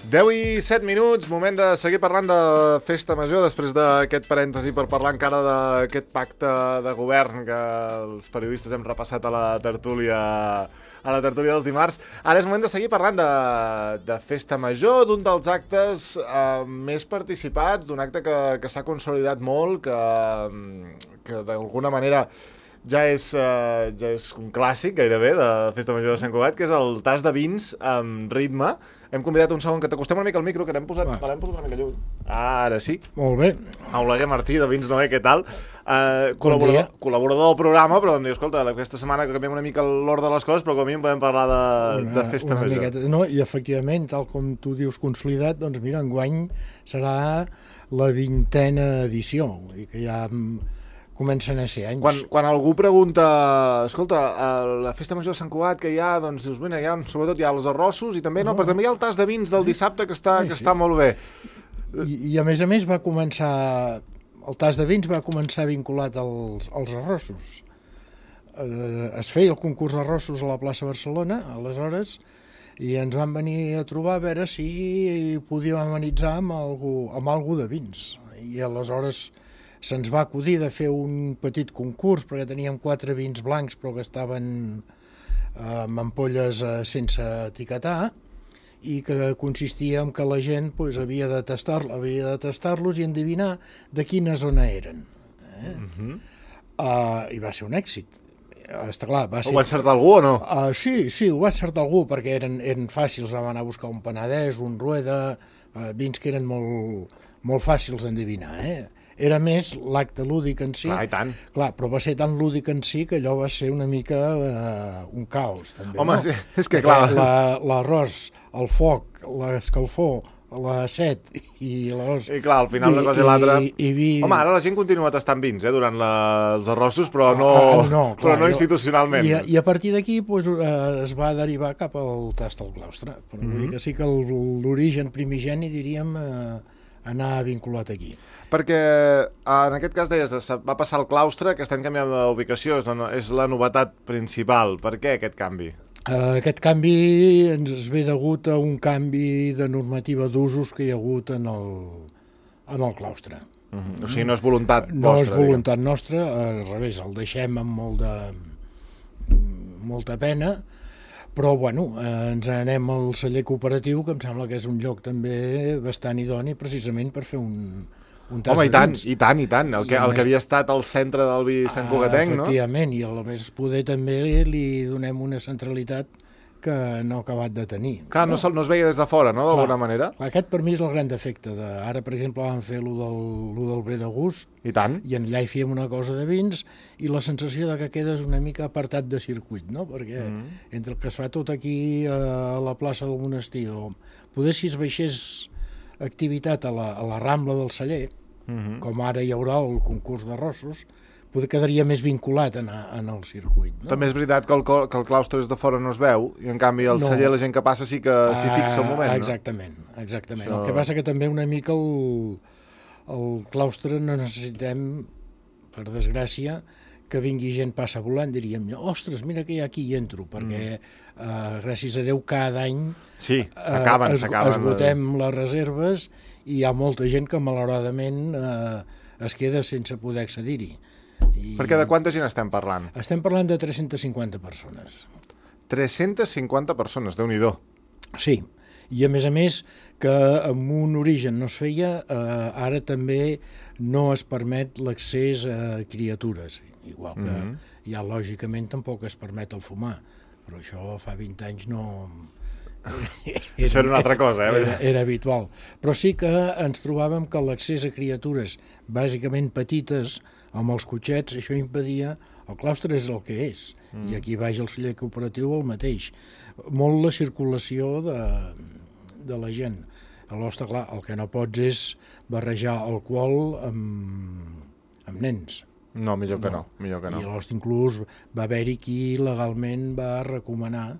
10 i 7 minuts, moment de seguir parlant de Festa Major, després d'aquest parèntesi per parlar encara d'aquest pacte de govern que els periodistes hem repassat a la tertúlia dels dimarts. Ara és moment de seguir parlant de Festa Major, d'un dels actes més participats, d'un acte que s'ha consolidat molt, que d'alguna manera ja és un clàssic gairebé de Festa Major de Sant Cugat, que és el tas de vins amb ritme. Hem convidat un segon que t'acostem una mica al micro, que l'hem posat una mica lluny. Ara sí. Molt bé. Oleguer Martí, de Vins Noé, què tal? Col·laborador del programa, però em diu, escolta, aquesta setmana que canviem una mica l'ordre de les coses, però com a mínim podem parlar de Festa Major. Miqueta, no? I efectivament, tal com tu dius consolidat, doncs mira, enguany serà la 20a edició, vull dir que ja comencen a ser anys. Quan algú pregunta, escolta, a la Festa Major de Sant Cugat que hi ha, doncs dius, mira, sobretot hi ha els arrossos i també, però també hi ha el tas de vins del dissabte que està molt bé. I a més va començar, el tas de vins va començar vinculat als arrossos. Es feia el concurs d'arrossos a la plaça Barcelona, aleshores, i ens van venir a trobar a veure si podíem amenitzar amb algú de vins. I aleshores se'ns va acudir de fer un petit concurs, perquè teníem 4 vins blancs, però que estaven amb ampolles sense etiquetar, i que consistia en que la gent havia de tastar-los i endevinar de quina zona eren. I va ser un èxit. Està clar, Ho va encertar algú o no? Sí, ho va encertar algú, perquè eren fàcils, vam anar a buscar un Penedès, un Rueda, vins que eren molt fàcils d'endevinar, Era més l'acte lúdic en si. Clar, i tant. Clar, però va ser tan lúdic en si que allò va ser una mica un caos, també. Home, no? És que clar. L'arròs, el foc, l'escalfor, la set i l'arròs... I clar, al final una cosa i l'altra... Home, ara la gent continua tastant vins durant els arrossos, però no institucionalment. I a partir d'aquí es va derivar cap al tast al claustre. Però vull dir que sí que l'origen primigeni, diríem, anar vinculat aquí. Perquè en aquest cas deies, va passar al claustre, aquest any canviant d'ubicació, és la novetat principal. Per què aquest canvi? Aquest canvi ens ve degut a un canvi de normativa d'usos que hi ha hagut en el claustre. O sigui, no és voluntat vostra? No és voluntat nostra, al revés, el deixem amb molta pena, però bueno, ens anem al celler cooperatiu, que em sembla que és un lloc també bastant idoni precisament per fer un tas de vins. I tant, el que havia estat al centre del vi Sant Cugatenc, no? Efectivament, i a més poder també li donem una centralitat que no ha acabat de tenir. Clar, no es veia des de fora, no?, d'alguna manera. Aquest per mi és el gran defecte. Ara, per exemple, vam fer lo del bé de gust, i tant. I allà hi fèiem una cosa de vins, i la sensació de que quedes una mica apartat de circuit, no? Perquè entre el que es fa tot aquí a la plaça del Monestir, o poder si es baixés activitat a la Rambla del Celler, com ara hi haurà el concurs d'arrossos, poder quedaria més vinculat en el circuit. No? També és veritat que el claustre des de fora no es veu, i en canvi al celler la gent que passa sí que s'hi fixa un moment, no? Exactament. Això... El que passa que també una mica el claustre no necessitem, per desgràcia, que vingui gent passa volant, diríem, ostres, mira que hi ha aquí i entro, perquè gràcies a Déu cada any esgotem les reserves i hi ha molta gent que malauradament es queda sense poder accedir-hi. Perquè de quanta gent estem parlant? Estem parlant de 350 persones. 350 persones, Déu-n'hi-do. Sí, i a més que amb un origen no es feia, ara també no es permet l'accés a criatures, igual que ja lògicament tampoc es permet el fumar, però això fa 20 anys no... Això era una altra cosa, Era habitual. Però sí que ens trobàvem que l'accés a criatures bàsicament petites, amb els cotxets, això impedia... El claustre és el que és, i aquí baix el celler cooperatiu el mateix. Molt la circulació de la gent. Aleshores, clar, el que no pots és barrejar alcohol amb nens. No, millor que no. I aleshores inclús va haver-hi qui legalment va recomanar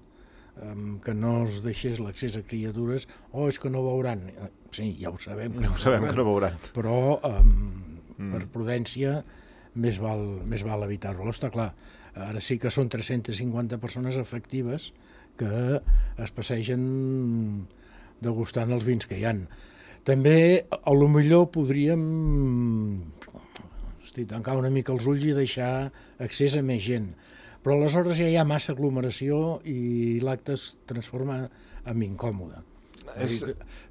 que no es deixés l'accés a criatures, és que no veuran. Sí, ja ho sabem que no veuran. Però per prudència més val evitar-ho. Està clar, ara sí que són 350 persones efectives que es passegen degustant els vins que hi han. També, a lo millor podríem tancar una mica els ulls i deixar accés a més gent. Però aleshores ja hi ha massa aglomeració i l'acte es transforma en incòmode.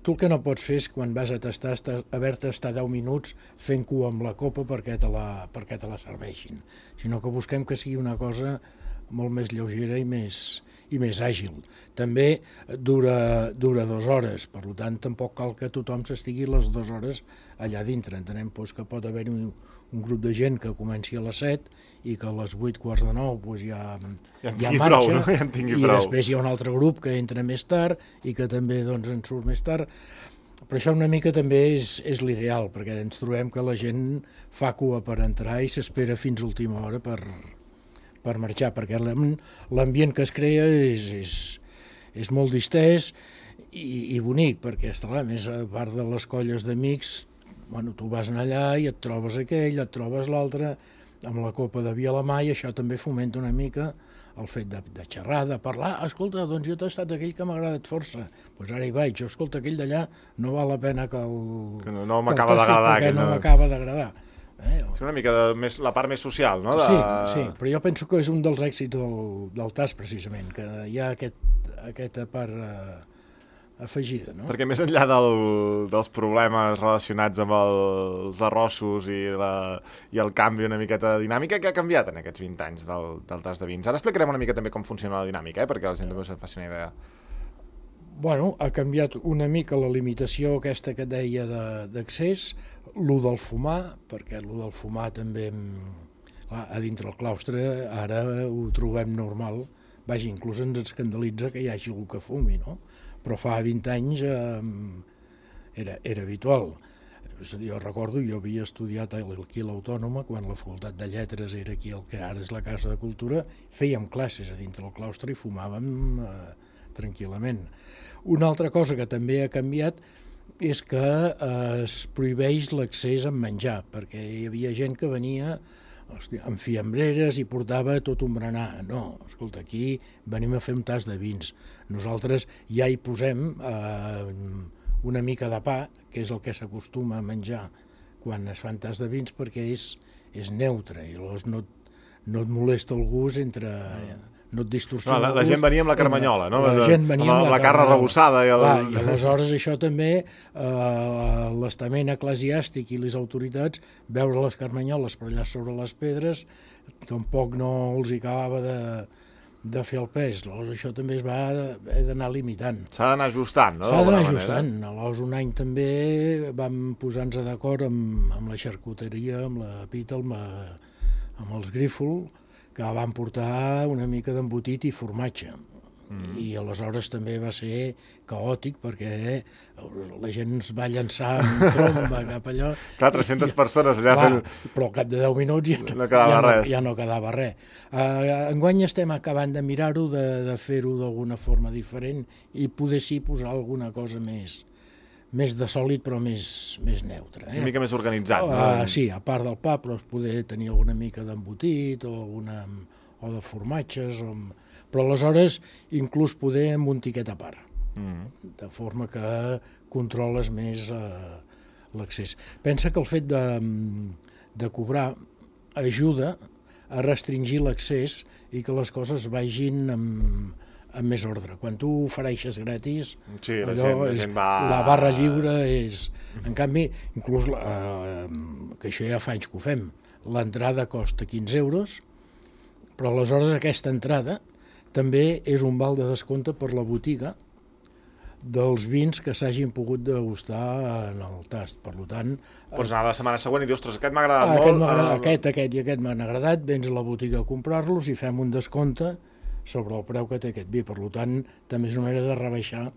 Tu el que no pots fer és, quan vas a tastar, haver-te estar 10 minuts fent cua amb la copa perquè te la serveixin, sinó que busquem que sigui una cosa molt més lleugera i més àgil. També dura 2 hores, per tant tampoc cal que tothom s'estigui les 2 hores allà dintre. Entenem que pot haver-hi un grup de gent que comenci a les 7 i que a les 8:45 ja marxa, i després hi ha un altre grup que entra més tard i que també en surt més tard. Però això una mica també és l'ideal, perquè ens trobem que la gent fa cua per entrar i s'espera fins a última hora per marxar, perquè l'ambient que es crea és molt distès i bonic, perquè a més, a part de les colles d'amics, tu vas allà i et trobes aquell, et trobes l'altre, amb la copa de vi a la mà, i això també fomenta una mica el fet de xerrar, de parlar. Escolta, doncs jo he tastat aquell que m'ha agradat força, doncs ara hi vaig, escolta, aquell d'allà no val la pena que no m'acaba d'agradar. Perquè no m'acaba d'agradar. És una mica la part més social, no? Sí, però jo penso que és un dels èxits del TAS, precisament, que hi ha aquesta part afegida, no? Perquè més enllà dels problemes relacionats amb els arrossos i el canvi una miqueta de dinàmica, què ha canviat en aquests 20 anys del TAS de vins? Ara explicarem una mica també com funciona la dinàmica, perquè la gent també se'n faci una idea. Ha canviat una mica la limitació aquesta que et deia d'accés, lo del fumar, perquè lo del fumar també, a dintre el claustre, ara ho trobem normal. Vaja, inclús ens escandalitza que hi hagi algú que fumi, no? Però fa 20 anys era habitual. Jo recordo, jo havia estudiat aquí a l'Autònoma, quan la Facultat de Lletres era aquí, el que ara és la Casa de Cultura, fèiem classes a dintre del claustre i fumàvem tranquil·lament. Una altra cosa que també ha canviat és que es prohibeix l'accés amb menjar, perquè hi havia gent que venia amb fiambreres i portava tot un berenar. No, escolta, aquí venim a fer un tas de vins. Nosaltres ja hi posem una mica de pa, que és el que s'acostuma a menjar quan es fan tas de vins, perquè és neutre i llavors no et molesta el gust no et distorsiona el gust. La gent venia amb la carmanyola, no? La gent venia amb la carn arrebossada. I aleshores això també, l'estament eclesiàstic i les autoritats, veure les carmanyoles per allà sobre les pedres, tampoc no els acabava de fer el pes. Llavors això també es va haver d'anar limitant. S'ha d'anar ajustant, no? S'ha d'anar ajustant. Aleshores un any també vam posar-nos d'acord amb la xarcuteria, amb la Pita, amb els Grífol, que van portar una mica d'embotit i formatge. I aleshores també va ser caòtic, perquè la gent es va llançar en tromba cap allò. Clar, 300 persones allà fent... Però al cap de 10 minuts ja no quedava res. Enguany estem acabant de mirar-ho, de fer-ho d'alguna forma diferent i poder sí posar alguna cosa més de sòlid però més neutre. Una mica més organitzat, no? Sí, a part del pa, però poder tenir alguna mica d'embotit o de formatges, però aleshores inclús poder amb un tiquet a part, de forma que controles més l'accés. Pensa que el fet de cobrar ajuda a restringir l'accés i que les coses vagin amb més ordre. Quan tu ofereixes gratis, sí, la gent va... La barra lliure és... En canvi, inclús, que això ja fa anys que ho fem, l'entrada costa 15 euros, però aleshores aquesta entrada també és un val de descompte per la botiga dels vins que s'hagin pogut degustar en el tast. Per tant... Pots anar la setmana següent i dir, ostres, aquest m'ha agradat molt. Aquest i aquest m'han agradat, vens a la botiga a comprar-los i fem un descompte sobre el preu que té aquest vi. Per tant, també és una manera de rebaixar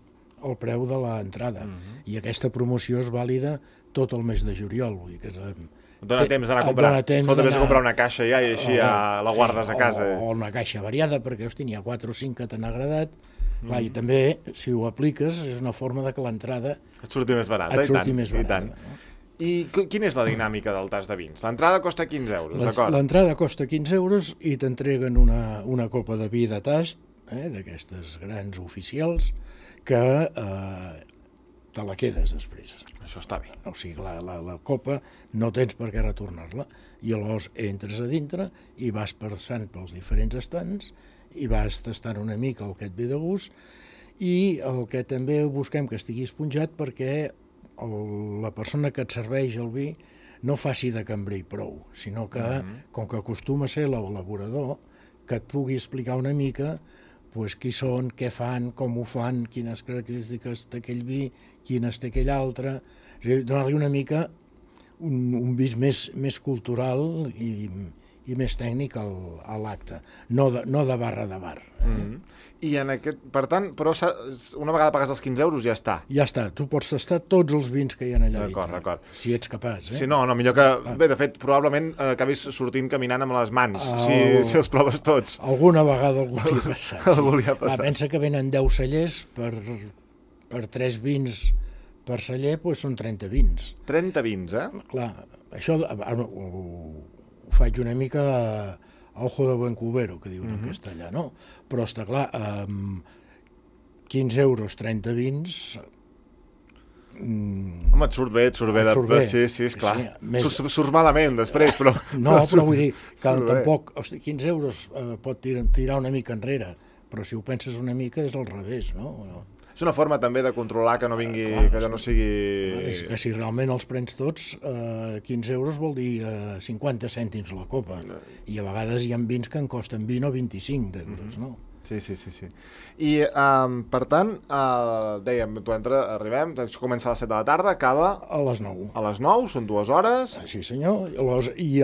el preu de l'entrada. I aquesta promoció és vàlida tot el mes de juliol. Vull dir que dona temps d'anar a comprar. Escolta, vés a comprar una caixa ja i així la guardes a casa. O una caixa variada, perquè n'hi ha 4 o 5 que t'han agradat. I també, si ho apliques, és una forma de que l'entrada et surti més barata. I tant. I quina és la dinàmica del tas de vins? L'entrada costa 15 euros, d'acord? L'entrada costa 15 euros i t'entreguen una copa de vi de tast, d'aquestes grans oficials, que te la quedes després. Això està bé. O sigui, la copa no tens per què retornar-la, i llavors entres a dintre i vas passant pels diferents estants i vas tastant una mica el que et ve de gust, i el que també busquem que estigui esponjat perquè la persona que et serveix el vi no faci de cambrer i prou, sinó que, com que acostuma a ser l'elaborador, que et pugui explicar una mica pues, qui són, què fan, com ho fan, quines característiques té aquell vi, quines té aquell altre, és a dir, donar-li una mica un vis més cultural i més tècnic a l'acte, no de barra de bar. I per tant, però una vegada pagues els 15 euros ja està. Ja està, tu pots tastar tots els vins que hi ha allà dintre. D'acord. Si ets capaç. Sí, no, millor que... Bé, de fet, probablement acabis sortint caminant amb les mans, si els proves tots. Alguna vegada algú li ha passat. Algú li ha passat. Pensa que venen 10 cellers per 3 vins per celler, doncs són 30 vins. 30 vins, Clar, això ho faig una mica a ojo de buen cubero, que diuen en castellà, no? Però està clar, 15 euros, 30 vins... Home, et surt bé. Sí, esclar. Sí, surt malament després, però... No, però vull dir que tampoc... 15 euros pot tirar una mica enrere, però si ho penses una mica és al revés, no? És una forma també de controlar que no vingui, que allò no sigui... És que si realment els prens tots, 15 euros vol dir 50 cèntims la copa, i a vegades hi ha vins que en costen 20 o 25 d'euros, no? Sí. I, per tant, dèiem, arribem, comença a les 7 de la tarda, acaba... A les 9. A les 9, són 2 hores. Sí, senyor. I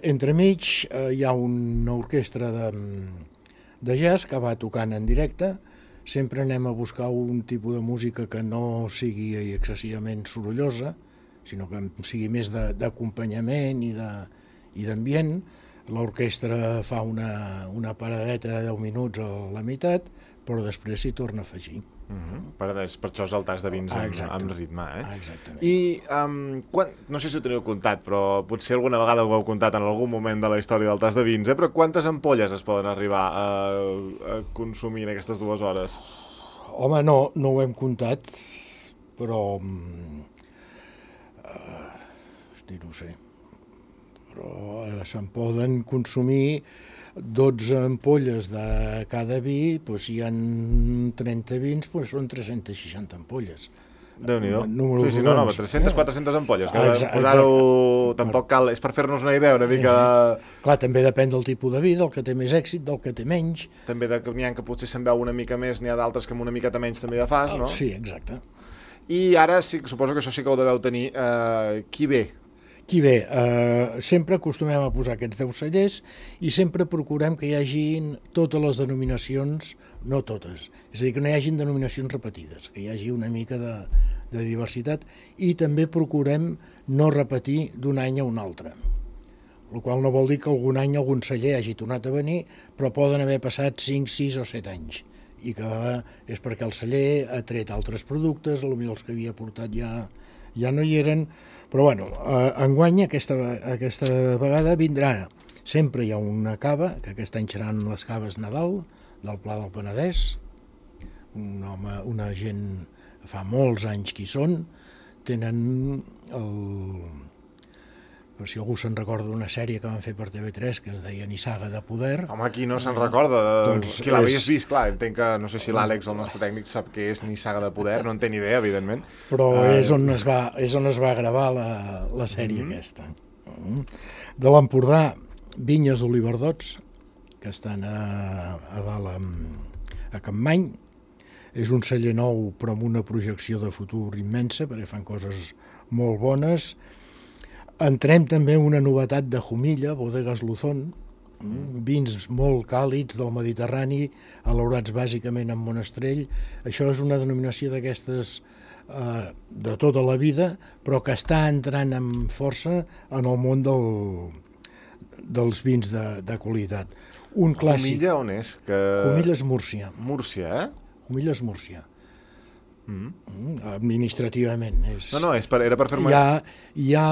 entremig hi ha una orquestra de jazz que va tocant en directe. Sempre anem a buscar un tipus de música que no sigui excessivament sorollosa, sinó que sigui més d'acompanyament i d'ambient. L'orquestra fa una paradeta de 10 minuts a la meitat, però després s'hi torna a afegir. Per això és el tas de vins amb ritme. Exactament. I no sé si ho teniu comptat, però potser alguna vegada ho heu comptat en algun moment de la història del tas de vins, però quantes ampolles es poden arribar a consumir en aquestes 2 hores? Home, no ho hem comptat, però... no sé. Però se'n poden consumir 12 ampolles de cada vi, doncs si hi ha 30 vins, doncs són 360 ampolles. Déu-n'hi-do. Sí, 300-400 ampolles. Posar-ho tampoc cal, és per fer-nos una idea una mica... Clar, també depèn del tipus de vi, del que té més èxit, del que té menys. També n'hi ha que potser se'n veu una mica més, n'hi ha d'altres que amb una miqueta menys també de fas, no? Sí, exacte. I ara suposo que això sí que ho deveu tenir. Qui ve? Qui ve? Sempre acostumem a posar aquests 10 cellers i sempre procurem que hi hagin totes les denominacions, no totes, és a dir, que no hi hagin denominacions repetides, que hi hagi una mica de diversitat, i també procurem no repetir d'un any a un altre, el qual no vol dir que algun any algun celler hagi tornat a venir, però poden haver passat 5, 6 o 7 anys, i que és perquè el celler ha tret altres productes, potser els que havia portat ja no hi eren, però bueno, enguany aquesta vegada vindrà, sempre hi ha una cava, que aquest any seran les caves Nadal, del Pla del Penedès, una gent, fa molts anys que hi són, tenen per si algú se'n recorda d'una sèrie que van fer per TV3 que es deia Nissaga de Poder. Home, qui no se'n recorda? Qui l'havies vist, clar, entenc que, no sé si l'Àlex, el nostre tècnic, sap què és Nissaga de Poder, no en té ni idea, evidentment. Però és on es va gravar la sèrie aquesta. De l'Empordà, vinyes d'Oliverdots, que estan a dalt a Campmany. És un celler nou, però amb una projecció de futur immensa, perquè fan coses molt bones. Entrem també una novetat de Jumilla, Bodegas Luzón, vins molt càlids del Mediterrani, elaborats bàsicament en Monestrell. Això és una denominació d'aquestes de tota la vida, però que està entrant amb força en el món dels vins de qualitat. Un clàssic. Jumilla on és? Jumilla és Múrcia. Múrcia, Jumilla és Múrcia. Administrativament. No, era per fer-me... Hi ha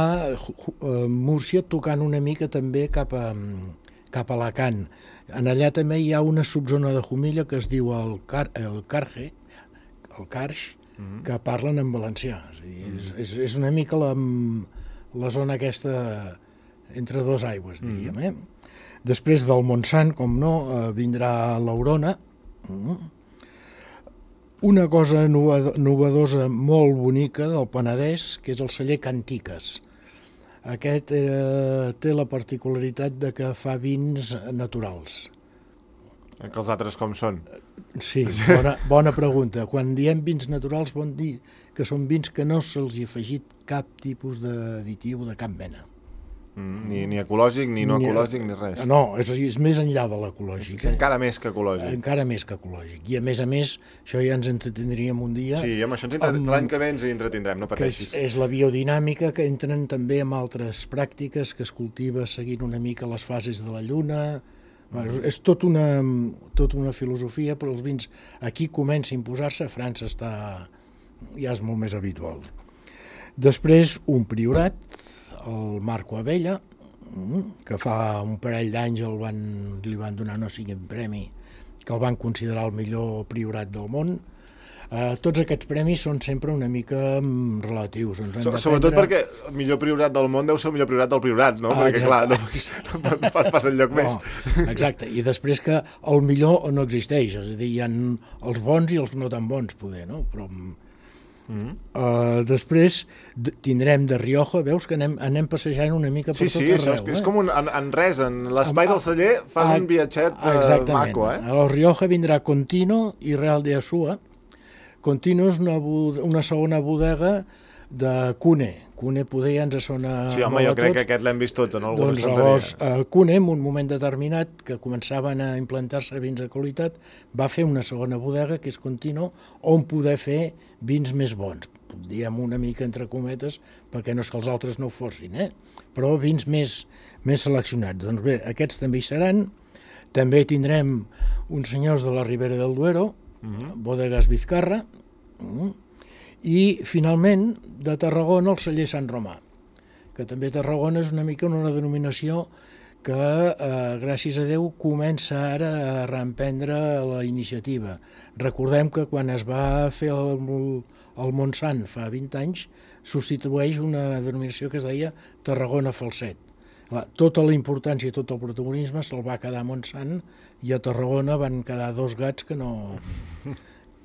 Múrcia tocant una mica també cap a Alacant. En allà també hi ha una subzona de Jumilla que es diu el Carx, que parlen en valencià. És una mica la zona aquesta entre dos aigües, diríem. Després del Montsant, com no, vindrà l'Aurona. Una cosa novedosa molt bonica del Penedès, que és el celler Cantiques. Aquest té la particularitat de que fa vins naturals. Que els altres com són? Sí, bona pregunta. Quan diem vins naturals vol dir que són vins que no se'ls ha afegit cap tipus d'additiu de cap mena. Ni ecològic, ni no ecològic, ni res. No, és més enllà de l'ecològic. Encara més que ecològic. Encara més que ecològic. I a més, això ja ens entretindríem un dia. Sí, amb això l'any que ve ens hi entretindrem, no pateixis. Que és la biodinàmica, que entren també amb altres pràctiques, que es cultiva seguint una mica les fases de la lluna. És tota una filosofia, però els vins aquí comença a imposar-se, a França ja és molt més habitual. Després, un priorat, el Marco Abella, que fa un parell d'anys li van donar no sigui un premi, que el van considerar el millor priorat del món. Tots aquests premis són sempre una mica relatius. Sobretot perquè el millor priorat del món deu ser el millor priorat del priorat, no? Perquè, clar, no passa enlloc més. Exacte, i després que el millor no existeix, és a dir, hi ha els bons i els no tan bons, poder, no? Però després tindrem de Rioja, veus que anem passejant una mica per tot arreu. Sí, és com en res, en l'espai del celler fas un viatget maco, eh? A Rioja vindrà Contino i Real de Asúa. Contino és una segona bodega de Cune. Cune poder ja ens sona molt a tots. Sí, home, jo crec que aquest l'hem vist tots en alguna estanteria. Doncs Cune, en un moment determinat, que començaven a implantar-se vins de qualitat, va fer una segona bodega, que és Contino, on poder fer vins més bons. Diem una mica entre cometes, perquè no és que els altres no ho fossin, però vins més seleccionats. Doncs bé, aquests també hi seran. També tindrem uns senyors de la Ribera del Duero, Bodegas Vizcarra, i finalment de Tarragona el celler Sant Romà, que també Tarragona és una mica una denominació que gràcies a Déu comença ara a reemprendre la iniciativa. Recordem que quan es va fer el Montsant fa 20 anys substitueix una denominació que es deia Tarragona Falset. Tota la importància i tot el protagonisme se'l va quedar a Montsant i a Tarragona van quedar dos gats que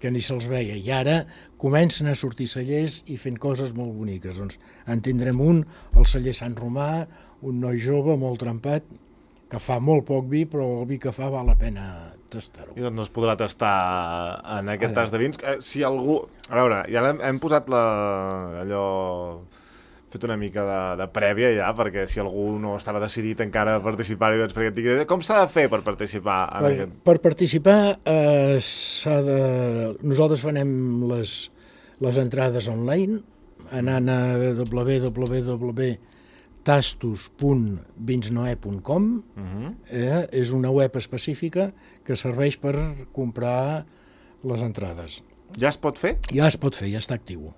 ni se'ls veia. I ara comencen a sortir cellers i fent coses molt boniques. Doncs en tindrem un, el celler Sant Romà, un noi jove, molt trempat, que fa molt poc vi, però el vi que fa val la pena tastar-ho. I doncs es podrà tastar en aquest tas de vins. Si algú... A veure, ja hem posat allò... fet una mica de prèvia ja, perquè si algú no estava decidit encara a participar-hi, doncs perquè et digui, com s'ha de fer per participar en aquest? Per participar nosaltres farem les entrades online, anant a www.tastos.vinsnoe.com. És una web específica que serveix per comprar les entrades. Ja es pot fer? Ja es pot fer, ja està actiu.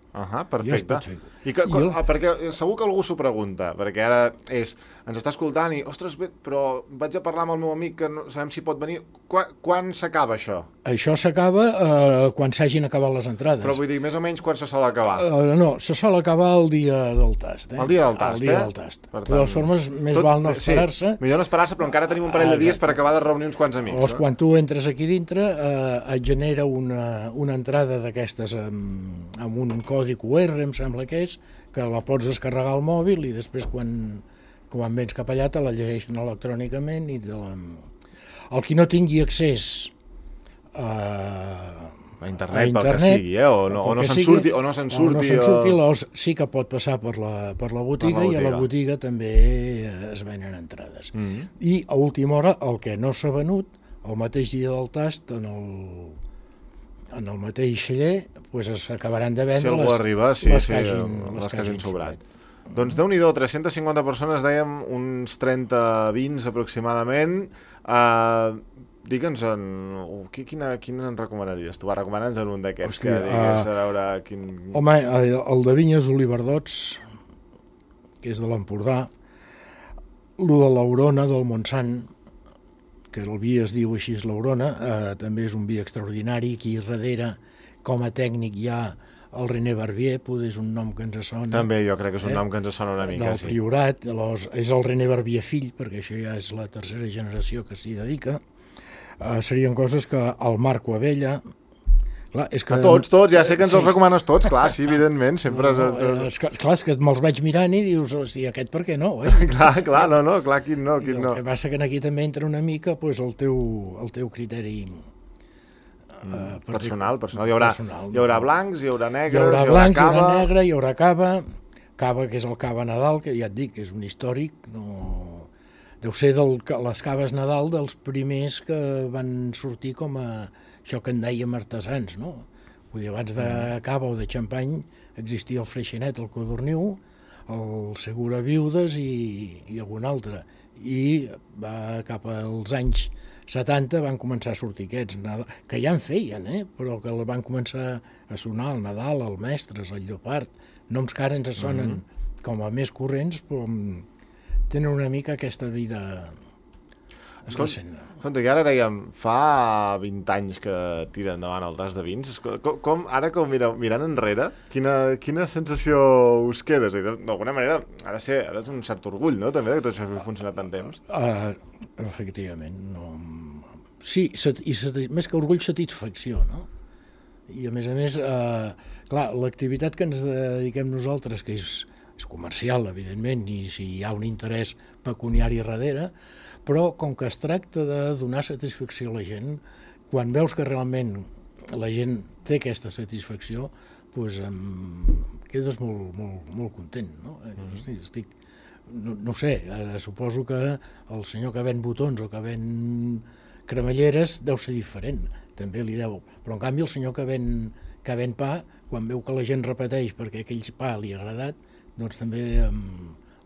Perfecte. Perquè segur que algú s'ho pregunta, perquè ara ens està escoltant i, ostres, bé, però vaig a parlar amb el meu amic que no sabem si pot venir. Quan s'acaba això? Això s'acaba quan s'hagin acabat les entrades. Però vull dir, més o menys quan se sol acabar? No, se sol acabar el dia del tast. El dia del tast, El dia del tast. De totes formes, més val no esperar-se. Sí, millor no esperar-se, però encara tenim un parell de dies per acabar de reunir uns quants amics. Quan tu entres aquí dintre, et genera una entrada d'aquestes amb un codi QR, em sembla que és, que la pots descarregar al mòbil i després quan vens cap allà te la llegeixen electrònicament i el qui no tingui accés a internet, pel que sigui, o no se'n surti, sí que pot passar per la botiga i a la botiga també es venen entrades. I a última hora, el que no s'ha venut, el mateix dia del tast, en el mateix celler, s'acabaran de vendre les que hagin sobrat. Doncs Déu-n'hi-do, 350 persones, dèiem, uns 30 vins aproximadament. Digue'ns, quin en recomanaries? Tu recomana'ns en un d'aquests que digues, a veure quin... Home, el de Vinyes Oliverdots, que és de l'Empordà, el de l'Aurona, del Montsant, que el vi es diu així, l'Aurona, també és un vi extraordinari. Aquí darrere, com a tècnic, hi ha el René Barbier, poder és un nom que ens sona. També jo crec que és un nom que ens sona una mica, del Priorat, és el René Barbier fill, perquè això ja és la tercera generació que s'hi dedica. Serien coses que el Marco Abella... Clar, és que... Tots, ja sé que ens els recomanes tots, clar, sí, evidentment, sempre... Clar, és que me'ls vaig mirant i dius, hosti, aquest per què no, Clar, quin no. El que passa que aquí també entra una mica el teu criteri personal. Hi haurà blancs, hi haurà negres, hi haurà blancs, hi haurà negre, hi haurà cava, que és el cava Nadal, que ja et dic, és un històric, deu ser les caves Nadal dels primers que van sortir com a això que en dèiem artesans, no? Vull dir, abans de cava o de xampany existia el Freixenet, el Codorniu, el Segura Viudes i algun altre. I cap als anys 70 van començar a sortir aquests, que ja en feien, però que van començar a sonar el Nadal, el Mestres, el Llopart, noms que ara ens sonen com a més corrents, però tenen una mica aquesta vida recent. Escolta, que ara dèiem, fa 20 anys que tira endavant el tas de vins. Ara que mirant enrere, quina sensació us queda? D'alguna manera ha de ser un cert orgull, no?, també, que tot això hagi funcionat tant temps. Efectivament. Sí, i més que orgull, satisfacció, no? I a més, clar, l'activitat que ens dediquem nosaltres, que és comercial, evidentment, i si hi ha un interès pecuniari darrere, però com que es tracta de donar satisfacció a la gent, quan veus que realment la gent té aquesta satisfacció, doncs quedes molt content, no? No sé, suposo que el senyor que ven botons o que ven cremalleres deu ser diferent, també li deu, però en canvi el senyor que ven pa, quan veu que la gent repeteix perquè aquell pa li ha agradat, doncs també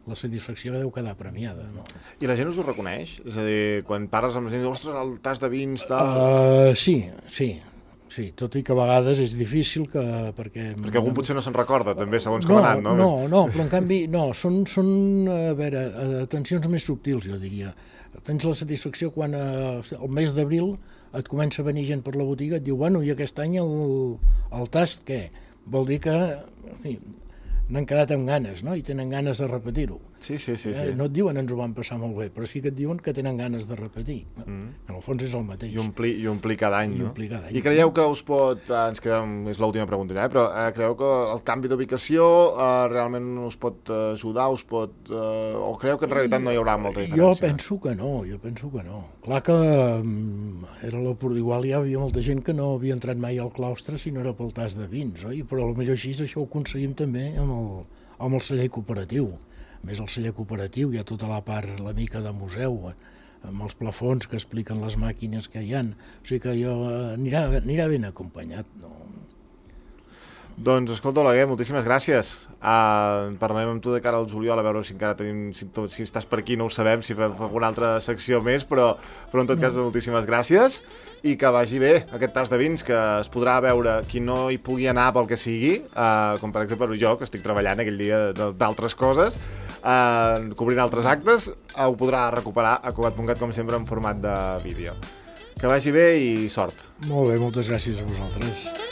la satisfacció deu quedar premiada, no? I la gent us ho reconeix? És a dir, quan parles amb la gent, ostres, el tas de vins, tal... Sí, tot i que a vegades és difícil perquè algun potser no se'n recorda, també, segons com ha anat, no? No, però en canvi, són atencions més subtils, jo diria. Tens la satisfacció quan el mes d'abril et comença a venir gent per la botiga, et diu, bueno, i aquest any el tast què? Vol dir que... n'han quedat amb ganes, no? I tenen ganes de repetir-ho. Sí. No et diuen ens ho van passar molt bé, però sí que et diuen que tenen ganes de repetir. En el fons és el mateix. I omplir cada any, no? I creieu que us pot... Ens quedem, és l'última pregunta, però creieu que el canvi d'ubicació realment us pot ajudar, o creieu que en realitat no hi haurà molta diferència? Jo penso que no. Clar que igual hi havia molta gent que no havia entrat mai al claustre si no era pel tas de vins, oi? Però potser així això ho aconseguim també amb el celler cooperatiu. A més, el celler cooperatiu hi ha tota la part, la mica de museu, amb els plafons que expliquen les màquines que hi ha. O sigui que anirà ben acompanyat, no? Doncs, escolta, Oleguer, moltíssimes gràcies. Parlarem amb tu de cara al juliol, a veure si encara tenim... Si estàs per aquí no ho sabem, si fem alguna altra secció més, però en tot cas, moltíssimes gràcies i que vagi bé aquest tas de vins, que es podrà veure qui no hi pugui anar pel que sigui, com per exemple jo, que estic treballant aquell dia d'altres coses, cobrint altres actes, ho podrà recuperar a Cugat.cat, com sempre, en format de vídeo. Que vagi bé i sort. Molt bé, moltes gràcies a vosaltres.